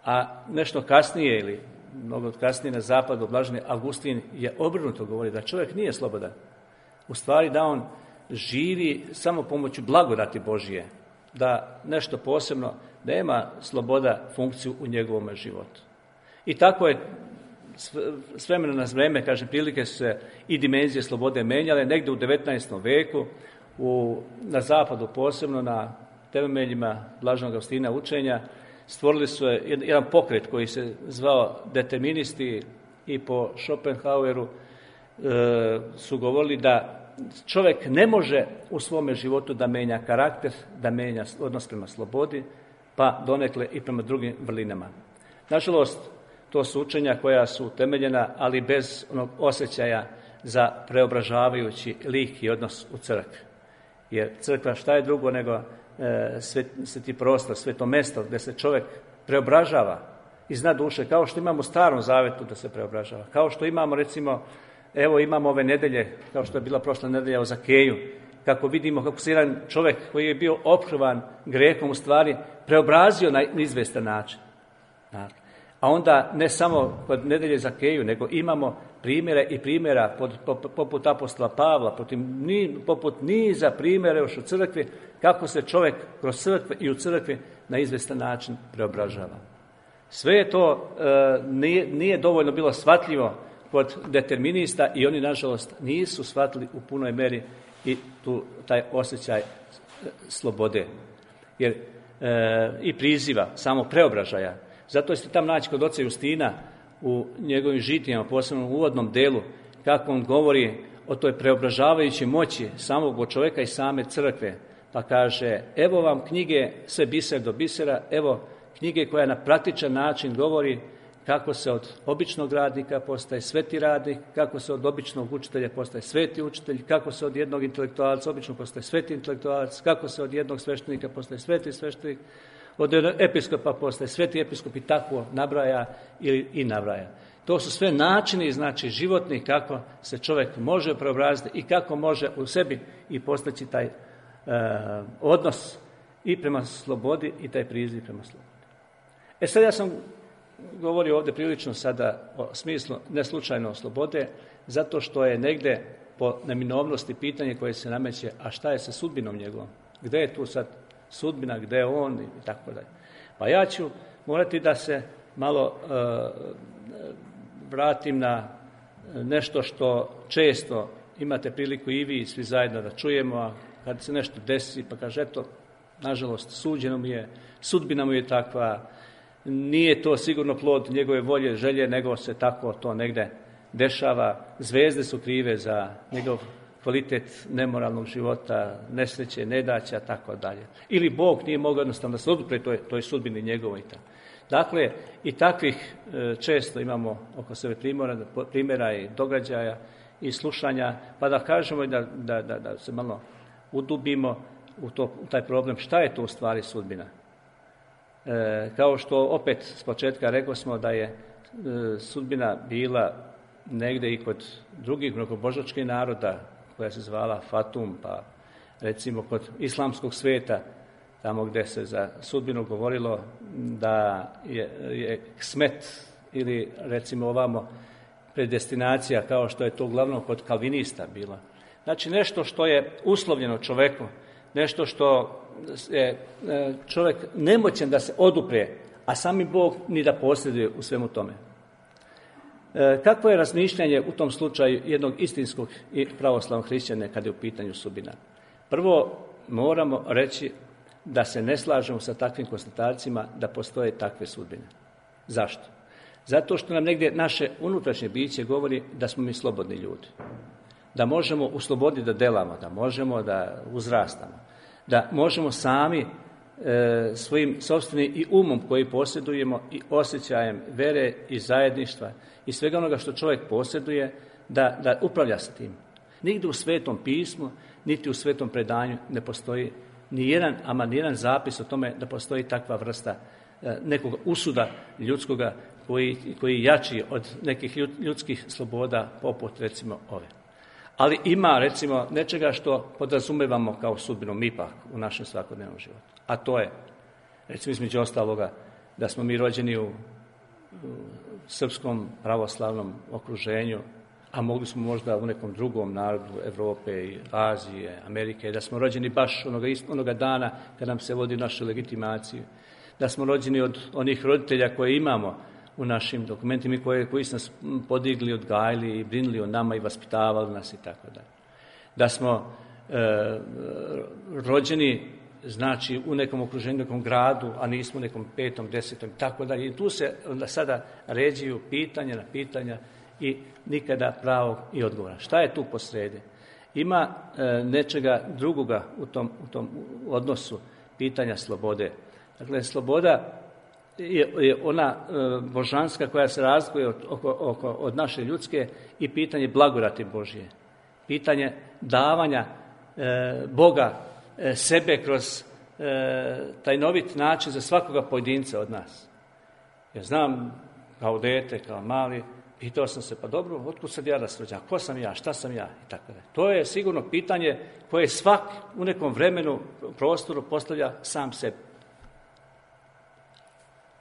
[SPEAKER 5] A nešto kasnije, ili mnogo kasnije na zapadu, blaženi Augustin je obrnuto govori da čovjek nije slobodan. U stvari da on živi samo pomoću blagodati Božije, da nešto posebno nema sloboda funkciju u njegovom životu. I tako je s vremena na vreme, kažem, prilike su se i dimenzije slobode menjale. Negdje u devetnaestom veku, u, na zapadu posebno, na temeljima Blaženog Augustina učenja, stvorili su jedan pokret koji se zvao deterministi i po Schopenhaueru e, su govorili da čovjek ne može u svome životu da menja karakter, da menja odnos prema slobodi, pa donekle i prema drugim vrlinama. Nažalost, to su učenja koja su utemeljena, ali bez onog osjećaja za preobražavajući lik i odnos u crkvi. Jer crkva šta je drugo nego e, sveti prostor, sveto mesto gdje se čovjek preobražava iz dna duše, kao što imamo u Starom Zavetu da se preobražava, kao što imamo, recimo, evo imamo ove nedelje, kao što je bila prošla nedelja o Zakeju, kako vidimo kako se jedan čovjek koji je bio ophrvan grehom u stvari preobrazio na izvestan način. A onda ne samo kod nedelje Zakeju, nego imamo primjere i primjera pod, poput apostola Pavla, poput, poput niza primjera još u crkvi, kako se čovjek kroz crkve i u crkvi na izvestan način preobražava. Sve je to e, nije, nije dovoljno bilo shvatljivo kod determinista i oni, nažalost, nisu shvatili u punoj meri i tu taj osjećaj slobode. Jer e, i priziva, samo preobražaja. Zato ste tam naći kod oca Justina u njegovim žitijama, posebno u uvodnom delu, kako on govori o toj preobražavajućoj moći samog čovjeka i same crkve. Pa kaže, evo vam knjige sve biser do bisera, evo knjige koja na praktičan način govori kako se od običnog radnika postaje sveti radnik, kako se od običnog učitelja postaje sveti učitelj, kako se od jednog intelektualca obično postaje sveti intelektualac, kako se od jednog sveštenika postaje sveti sveštenik, od episkopa postaje sveti episkop i tako nabraja ili i nabraja. To su sve načini, znači, životni kako se čovjek može preobraziti i kako može u sebi i postaći taj e, odnos i prema slobodi i taj priziv prema slobodi. E sad ja sam govorio ovdje prilično sada o smislu neslučajno slobode, zato što je negdje po neminovnosti pitanje koje se nameće, a šta je sa sudbinom njegovom? Gdje je tu sad sudbina, gdje je on i tako dalje. Pa ja ću morati da se malo e, vratim na nešto što često imate priliku i vi i svi zajedno da čujemo, a kad se nešto desi pa kaže, eto, nažalost, suđeno mi je, sudbina mu je takva, nije to sigurno plod njegove volje, želje, nego se tako to negde dešava. Zvezde su krive za njegov kvalitet nemoralnog života, nesreće, nedaća, tako dalje. Ili Bog nije mogao jednostavno da se odupre toj, toj sudbini njegovoj. Dakle, i takvih e, često imamo oko sebe primjera, primjera i događaja i slušanja, pa da kažemo da, da, da, da se malo udubimo u, to, u taj problem, šta je to u stvari sudbina. E, kao što opet s početka rekli smo da je e, sudbina bila negdje i kod drugih mnogobožačkih naroda, koja se zvala Fatum, pa recimo kod islamskog sveta, tamo gdje se za sudbinu govorilo da je, je smet ili recimo ovamo predestinacija, kao što je to uglavnom kod kalvinista bila. Znači nešto što je uslovljeno čovjeku, nešto što je čovjek nemoćan da se odupre, a sami Bog ni da posjeduje u svemu tome. Kakvo je razmišljanje u tom slučaju jednog istinskog i pravoslavnog hrišćana kada je u pitanju sudbina? Prvo moramo reći da se ne slažemo sa takvim konstatacijama da postoje takve sudbine. Zašto? Zato što nam negdje naše unutrašnje biće govori da smo mi slobodni ljudi. Da možemo u slobodi da delamo, da možemo da uzrastamo, da možemo sami e, svojim sopstvenim i umom koji posjedujemo i osjećajem vere i zajedništva i svega onoga što čovjek posjeduje, da, da upravlja s tim. Nigdje u Svetom pismu, niti u Svetom predanju ne postoji ni jedan, ama ni jedan zapis o tome da postoji takva vrsta e, nekog usuda ljudskoga koji, koji jači od nekih ljudskih sloboda poput recimo ove. Ali ima recimo nečega što podrazumevamo kao sudbinu mi ipak u našem svakodnevnom životu. A to je, recimo između ostaloga, da smo mi rođeni u, u srpskom pravoslavnom okruženju, a mogli smo možda u nekom drugom narodu Evrope i Azije, Amerike, da smo rođeni baš onoga, onoga dana kad nam se vodi našu legitimaciju, da smo rođeni od onih roditelja koje imamo u našim dokumentima, koje, koji su nas podigli, odgajili i brinuli o nama i vaspitavali nas i tako dalje. Da smo e, rođeni, znači, u nekom okruženju, nekom gradu, a nismo u nekom petom, desetom i tako dalje. I tu se onda sada ređuju pitanja na pitanja i nikada pravog i odgovora. Šta je tu posredi? Ima e, nečega drugoga u tom, u tom odnosu pitanja slobode. Dakle, sloboda je, je ona e, božanska koja se razlikuje od, oko, oko, od naše ljudske i pitanje blagodati Božje. Pitanje davanja e, Boga e, sebe kroz e, tajnovit način za svakoga pojedinca od nas. Ja znam, kao dete, kao mali, pitao sam se, pa dobro, otkud sad ja da se rođam? Ko sam ja? Šta sam ja? I tako da. To je sigurno pitanje koje svak u nekom vremenu, prostoru postavlja sam sebi.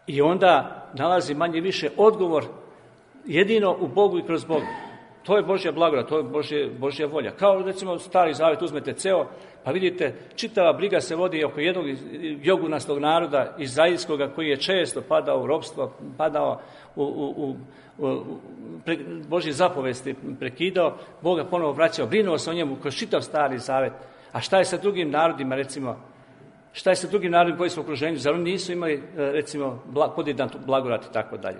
[SPEAKER 5] I onda nalazi manje više odgovor jedino u Bogu i kroz Boga. To je Božja blagodat, to je Božje, Božja volja. Kao recimo Stari Zavet uzmete ceo, pa vidite, čitava briga se vodi oko jednog jogunastog naroda izraelskoga koji je često padao u ropstvo, padao u, u, u, u pre, Božje zapovesti prekidao, Boga ponovo vraćao, brinuo se o njemu kroz čitav Stari Zavet. A šta je sa drugim narodima, recimo, šta je sa drugim narodima koji su u okruženju? Zar oni nisu imali, recimo, podjedan blagodat i tako dalje?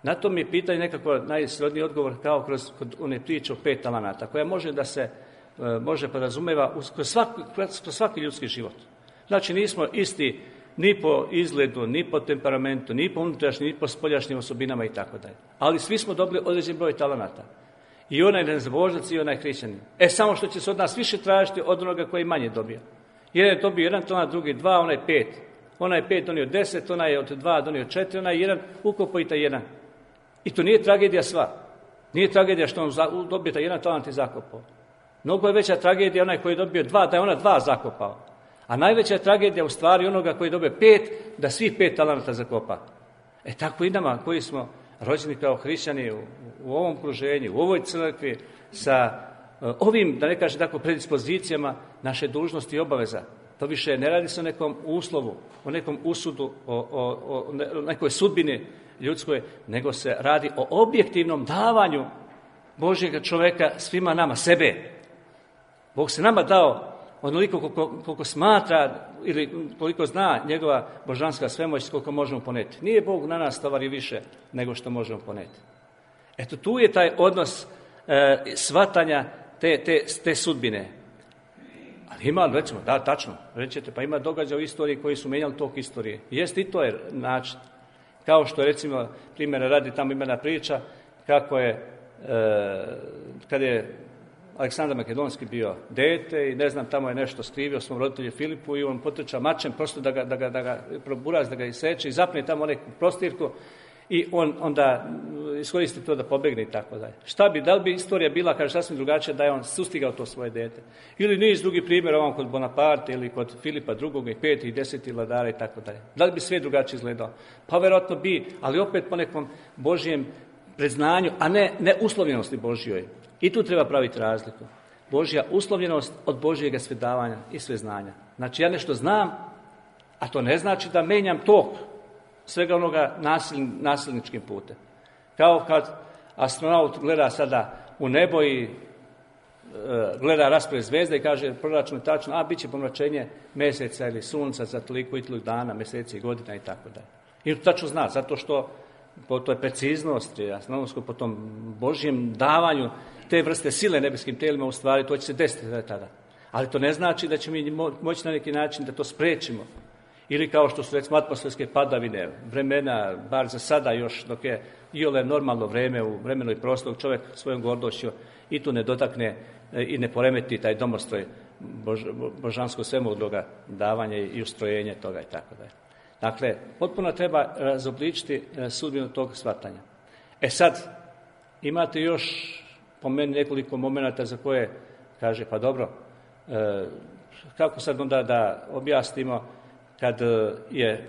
[SPEAKER 5] Na to mi je pitanje nekako najsrodniji odgovor kao kroz kod one priče o pet talenata, koja može da se e, može podrazumeva kroz svaki, kroz svaki ljudski život. Znači nismo isti ni po izgledu, ni po temperamentu, ni po unutrašnjim, ni po spoljašnjim osobinama i tako dalje. Ali svi smo dobili određen broj talenata. I onaj nezbožac i onaj hrišćanin. E samo što će se od nas više tražiti od onoga koji manje dobija. Jedan je dobio jedan talenat, drugi dva, onaj pet. Onaj pet donio deset, onaj je od dva donio četiri, onaj jedan ukopo i taj jedan. I to nije tragedija sva. Nije tragedija što on dobije taj jedan talant i zakopao. Mnogo je veća tragedija onaj koji je dobio dva, da je ona dva zakopao. A najveća je tragedija u stvari onoga koji je dobio pet, da svih pet talenta zakopa. E tako i nama koji smo rođeni kao hrišćani u, u ovom okruženju, u ovoj crkvi, sa uh, ovim, da ne kažem tako, predispozicijama naše dužnosti i obaveza. To više ne radi se o nekom uslovu, o nekom usudu, o, o, o nekoj sudbini ljudskoj, nego se radi o objektivnom davanju Božjega čoveka svima nama, sebe. Bog se nama dao onoliko koliko, koliko smatra ili koliko zna njegova božanska svemoć, koliko možemo poneti. Nije Bog na nas tovari više nego što možemo poneti. Eto, tu je taj odnos e, shvatanja te, te, te sudbine. Ali ima, recimo, da, tačno, rećete, pa ima događaja u istoriji koji su menjali tok istorije. Jeste i to je način. Kao što recimo, primjera radi, tamo ima jedna priča, kako je, e, kad je Aleksandar Makedonski bio dete i ne znam, tamo je nešto skrivio svom roditelju Filipu i on potrča mačem, prosto da ga, da ga, da ga proburaz, da ga iseče i zapne tamo neku prostirku i on onda iskoristi to da pobegne i tako dalje. Šta bi, da li bi istorija bila, kaže, sasvim drugačija da je on sustigao to svoje dete? Ili niz drugi primjer, ovom kod Bonaparte ili kod Filipa drugog i peti i deseti vladara i tako dalje. Da li bi sve drugačije izgledao? Pa verovatno bi, ali opet po nekom Božjem predznanju, a ne, ne uslovljenosti Božjoj. I tu treba praviti razliku. Božja uslovljenost od Božjega svedavanja i sveznanja. Znači ja nešto znam, a to ne znači da menjam tok svega onoga nasil, nasilničkim putem. Kao kad astronaut gleda sada u nebo i e, gleda raspored zvezda i kaže proračun je tačno, a bit će pomračenje meseca ili sunca za toliko i toliko dana, meseci i godina i tako dalje. I to tačno zna, zato što po toj preciznosti, astronomsko, po tom Božjem davanju te vrste sile nebeskim telima, u stvari to će se desiti tada. Ali to ne znači da ćemo mi moći na neki način da to sprečimo. Ili kao što su recimo atmosferske padavine, vremena, bar za sada još, dok je iole normalno vreme u vremenu i prostoru, čovjek svojom gordošću i tu ne dotakne i ne poremeti taj domostroj bož, božansko svemudroga davanja i ustrojenje toga i tako dalje. Dakle, potpuno treba razobličiti sudbinu tog shvatanja. E sad, imate još po meni nekoliko momenata za koje kaže, pa dobro, e, kako sad onda da objasnimo kad je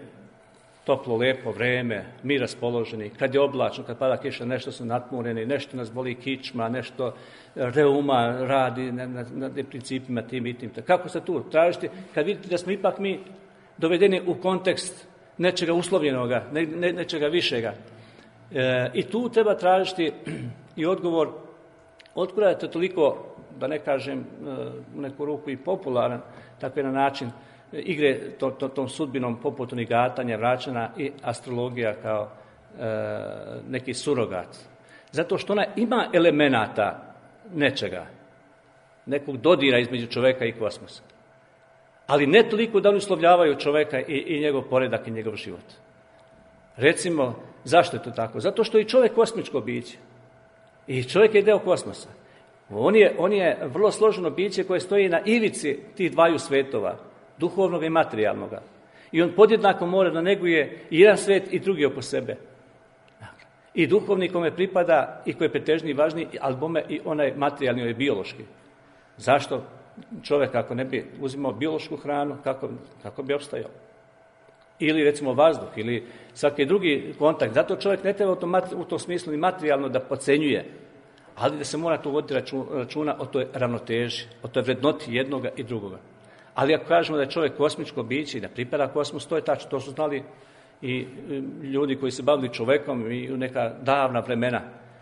[SPEAKER 5] toplo, lepo vreme, mi raspoloženi, kad je oblačno, kad pada kiša, nešto su natmureni, nešto nas boli kičma, nešto reuma radi na, na, na principima tim i tim. Kako se tu tražiti kad vidite da smo ipak mi dovedeni u kontekst nečega uslovljenoga, ne, ne, nečega višega. E, I tu treba tražiti i odgovor otkuda je to toliko, da ne kažem u neku ruku i popularan, tako je na način igre to, to, tom sudbinom poput onih gatanja, vraćana i astrologija kao e, neki surogat. Zato što ona ima elemenata nečega, nekog dodira između čoveka i kosmosa. Ali ne toliko da oni uslovljavaju čoveka i, i njegov poredak i njegov život. Recimo, zašto je to tako? Zato što je i čovek kosmičko biće. I čovjek je deo kosmosa. On je, on je vrlo složeno biće koje stoji na ivici tih dvaju svetova, duhovnog i materijalnog. I on podjednako mora da neguje i jedan svet i drugi oko sebe. I duhovni kome pripada i koji je pretežniji i važniji, ali bome i onaj materijalni, onaj biološki. Zašto čovjek ako ne bi uzimao biološku hranu, kako, kako bi opstajao? Ili recimo vazduh, ili svaki drugi kontakt. Zato čovjek ne treba u tom, u tom smislu ni materijalno da podcenjuje, ali da se mora tu voditi računa o toj ravnoteži, o toj vrednoti jednoga i drugoga. Ali ako kažemo da je čovjek kosmičko biće i da pripada kosmos, to je tačno, to su znali i ljudi koji se bavili čovjekom i u neka davna vremena,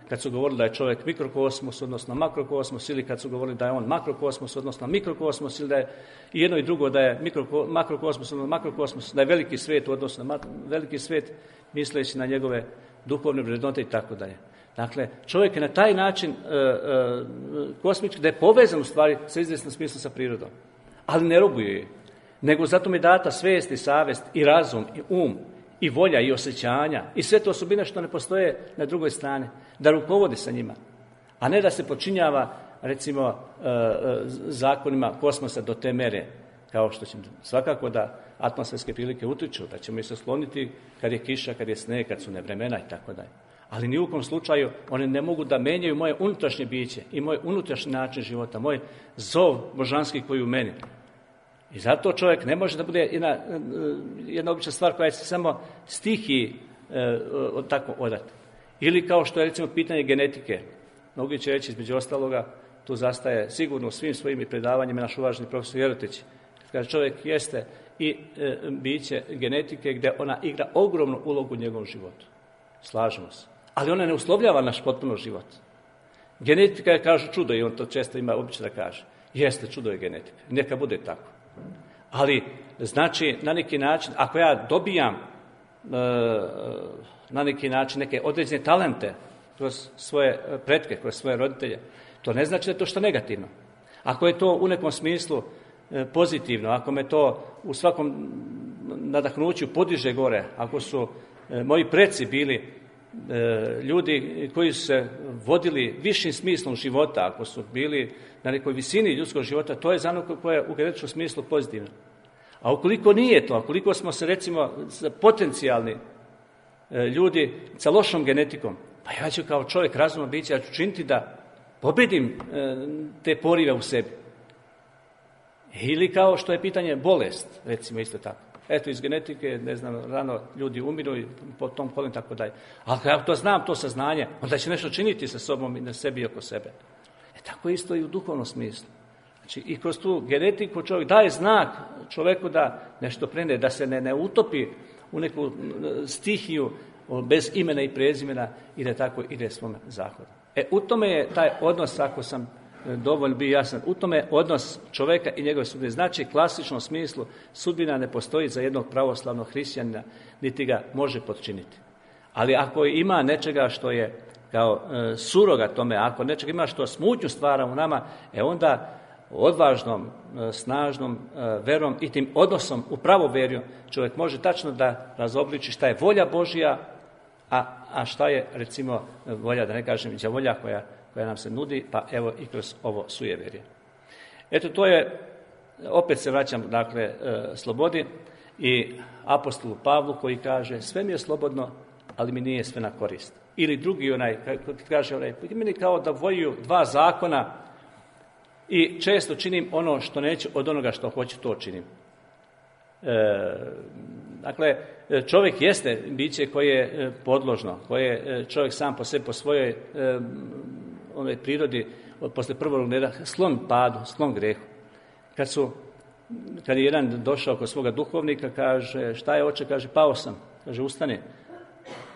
[SPEAKER 5] kad su govorili da je čovjek mikrokosmos, odnosno makrokosmos, ili kad su govorili da je on makrokosmos, odnosno mikrokosmos, ili da je i jedno i drugo da je mikro, makrokosmos, odnosno makrokosmos, da je veliki svijet, odnosno na veliki svijet, misleći na njegove duhovne vrednote i tako dalje. Dakle, čovjek je na taj način e, e, kosmički, da je povezan u stvari sa izvjesnom smislu sa prirodom, ali ne robuje je, nego zato mi je data svijest i savjest i razum i um, i volja i osjećanja i sve to osobine što ne postoje na drugoj strani, da rukovodi sa njima, a ne da se počinjava recimo zakonima kosmosa do te mere, kao što će svakako da atmosferske prilike utiču, da ćemo ih se sloniti kad je kiša, kad je sneg, kad su nevremena i tako dalje. Ali ni u kom slučaju one ne mogu da menjaju moje unutrašnje biće i moj unutrašnji način života, moj zov božanski koji u meni. I zato čovjek ne može da bude jedna, jedna obična stvar koja se samo stihiji e, tako odati. Ili kao što je recimo pitanje genetike. Mnogi će reći između ostaloga, tu zastaje sigurno u svim svojim predavanjima naš uvaženi profesor Jerotić. Kaže, čovjek jeste i e, biće genetike gdje ona igra ogromnu ulogu u njegovom životu. Slažemo se. Ali ona ne uslovljava naš potpuno život. Genetika je, kažu, čudo i on to često ima običaj da kaže. Jeste, čudo je genetika. Neka bude tako. Ali, znači, na neki način, ako ja dobijam e, na neki način neke određene talente kroz svoje pretke, kroz svoje roditelje, to ne znači da je to što negativno. Ako je to u nekom smislu e, pozitivno, ako me to u svakom nadahnuću podiže gore, ako su e, moji preci bili e, ljudi koji su se vodili višim smislom života, ako su bili na nekoj visini ljudskog života, to je za ono koje je u genetičkom smislu pozitivno. A ukoliko nije to, ukoliko smo se recimo potencijalni e, ljudi sa lošom genetikom, pa ja ću kao čovjek razumno biće, ja ću činiti da pobedim e, te porive u sebi. Ili kao što je pitanje bolest, recimo isto tako. Eto, iz genetike, ne znam, rano ljudi umiru i po tom kolem tako dalje. Ali ako ja to znam, to saznanje, onda će nešto činiti sa sobom i na sebi i oko sebe. E tako isto i u duhovnom smislu. Znači, i kroz tu genetiku čovjek daje znak čovjeku da nešto prene, da se ne, ne utopi u neku stihiju bez imena i prezimena i da tako ide svome zahodu. E, u tome je taj odnos, ako sam dovoljno bio jasan, u tome je odnos čovjeka i njegove sudbine. Znači, u klasičnom smislu, sudbina ne postoji za jednog pravoslavnog hrišćanina, niti ga može potčiniti. Ali ako ima nečega što je kao e, suroga tome, ako nečega ima što smutnju stvara u nama, e onda odvažnom, e, snažnom e, verom i tim odnosom u pravoverju čovjek može tačno da razobliči šta je volja Božja, a, a šta je recimo volja, da ne kažem, đavolja koja, koja nam se nudi, pa evo i kroz ovo sujeverje. Eto, to je, opet se vraćam, dakle, e, slobodi i apostolu Pavlu koji kaže, sve mi je slobodno, ali mi nije sve na korist. Ili drugi onaj, kaže onaj, meni kao da voju dva zakona i često činim ono što neću od onoga što hoću, to činim. E, dakle, čovjek jeste biće koje je podložno, koje je čovjek sam po sebi, po svojoj e, onoj prirodi, posle prvog reda, sklon padu, sklon grehu. Kad su kad je jedan došao kod svoga duhovnika, kaže, šta je oče, kaže, pao sam, kaže, ustane.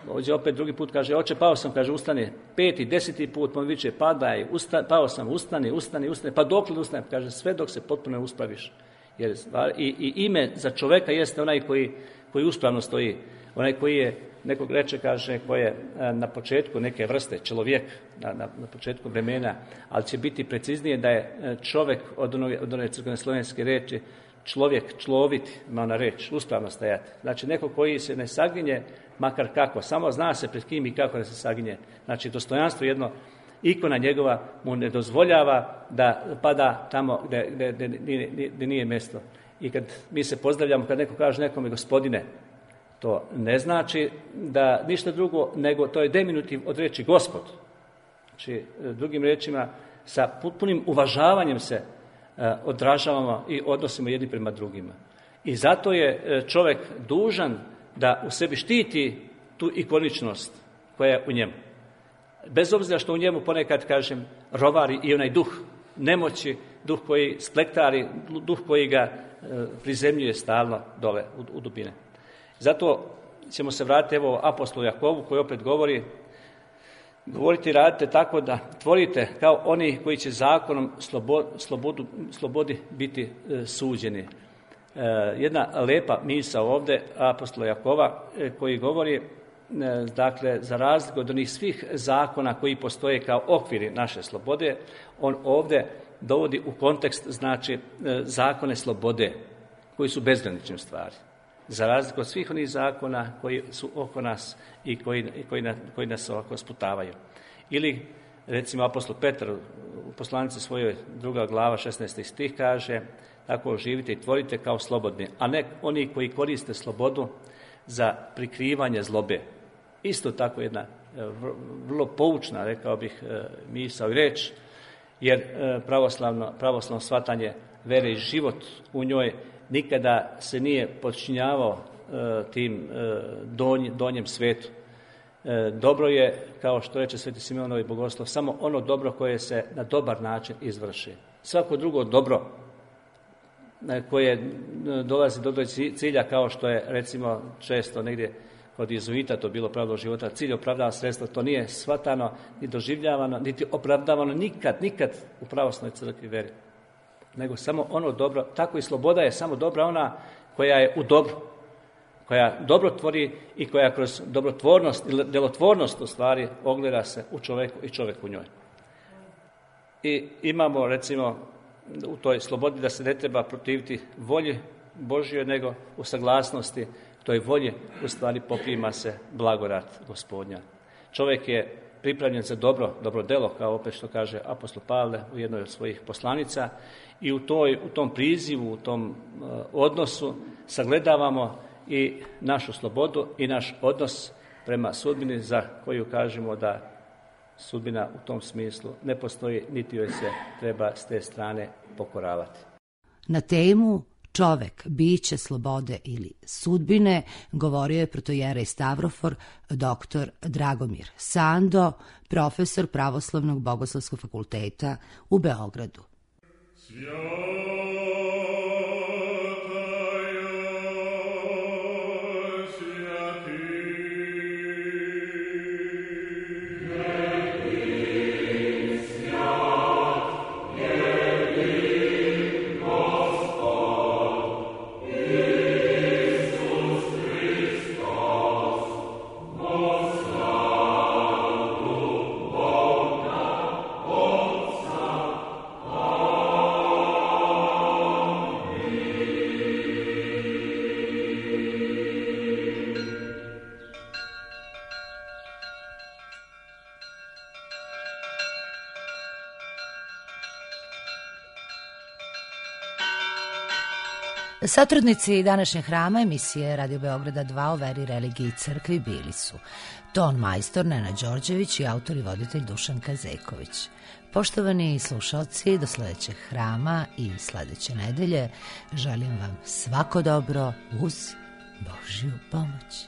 [SPEAKER 5] Dođe opet drugi put, kaže, oče, pao sam, kaže, ustane. Peti, deseti put, on viče, padaj, usta, pao sam, ustani, ustani, ustani, pa dok li ustane, kaže, sve dok se potpuno ne uspraviš. Jer, i, i ime za čoveka jeste onaj koji, koji uspravno stoji, onaj koji je, nekog reče, kaže, koji je na početku neke vrste, čovjek, na, na, na početku vremena, ali će biti preciznije da je čovjek od, ono, od one crkvene slovenske reči, človjek, človiti, ima ona reč, uspravno stajati. Znači, neko koji se ne saginje, makar kako, samo zna se pred kim i kako da se saginje. Znači, dostojanstvo jedno, ikona njegova mu ne dozvoljava da pada tamo gde, gde, gde, gde, gde nije mjesto. I kad mi se pozdravljamo, kad neko kaže nekome gospodine, to ne znači da ništa drugo, nego to je diminutiv od reči gospod. Znači, drugim rečima, sa potpunim uvažavanjem se odražavamo i odnosimo jedni prema drugima. I zato je čovjek dužan da u sebi štiti tu ikoničnost koja je u njemu. Bez obzira što u njemu ponekad, kažem, rovari i onaj duh nemoći, duh koji splektari, duh koji ga prizemljuje stalno dole u, u dubine. Zato ćemo se vratiti evo apostolu Jakovu koji opet govori, govorite i radite tako da tvorite kao oni koji će zakonom slobo, slobodu, slobodi biti e, suđeni. E, jedna lepa misao ovdje apostola Jakova e, koji govori, e, dakle, za razliku od onih svih zakona koji postoje kao okviri naše slobode, on ovdje dovodi u kontekst, znači, e, zakone slobode koji su bezgranične stvari. Za razliku od svih onih zakona koji su oko nas i koji, koji, na, koji nas ovako sputavaju. Ili, recimo, apostol Petar u poslanici svojoj druga glava šesnaesti stih kaže, tako živite i tvorite kao slobodni, a ne oni koji koriste slobodu za prikrivanje zlobe. Isto tako jedna vrlo poučna, rekao bih, misao i reč, jer pravoslavno, pravoslavno shvatanje vere i život u njoj nikada se nije podčinjavao e, tim e, donj, donjem svetu. E, dobro je, kao što reče Sveti Simeonovi bogoslov, samo ono dobro koje se na dobar način izvrši. Svako drugo dobro e, koje dolazi do cilja, kao što je, recimo, često negdje kod jezuita to bilo pravilo života, cilj opravdava sredstvo, to nije shvatano, ni doživljavano, niti opravdavano nikad, nikad u pravoslavnoj crkvi veri. Nego samo ono dobro, tako i sloboda je samo dobra ona koja je u dobru, koja dobro tvori i koja kroz dobrotvornost ili djelotvornost u stvari ogleda se u čovjeku i čovjek u njoj. I imamo, recimo, u toj slobodi da se ne treba protiviti volji Božjoj, nego u saglasnosti toj volji u stvari poprima se blagodat Gospodnja. Čovjek je pripremljen za dobro, dobro delo, kao opet što kaže apostol Pavle u jednoj od svojih poslanica, i u, toj, u tom prizivu, u tom uh, odnosu sagledavamo i našu slobodu i naš odnos prema sudbini za koju kažemo da sudbina u tom smislu ne postoji, niti joj se treba s te strane pokoravati.
[SPEAKER 1] Na temu čovek, biće slobode ili sudbine govorio je protojerej Stavrofor doktor Dragomir Sando, profesor Pravoslavnog bogoslovskog fakulteta u Beogradu. Satrudnici današnjeg hrama emisije Radio Beograda dva o veri, religiji i crkvi bili su ton majstor Nenad Đorđević i autor i voditelj Dušan Kazeković. Poštovani slušalci, do sljedećeg hrama i sljedeće nedelje želim vam svako dobro uz Božju pomoć.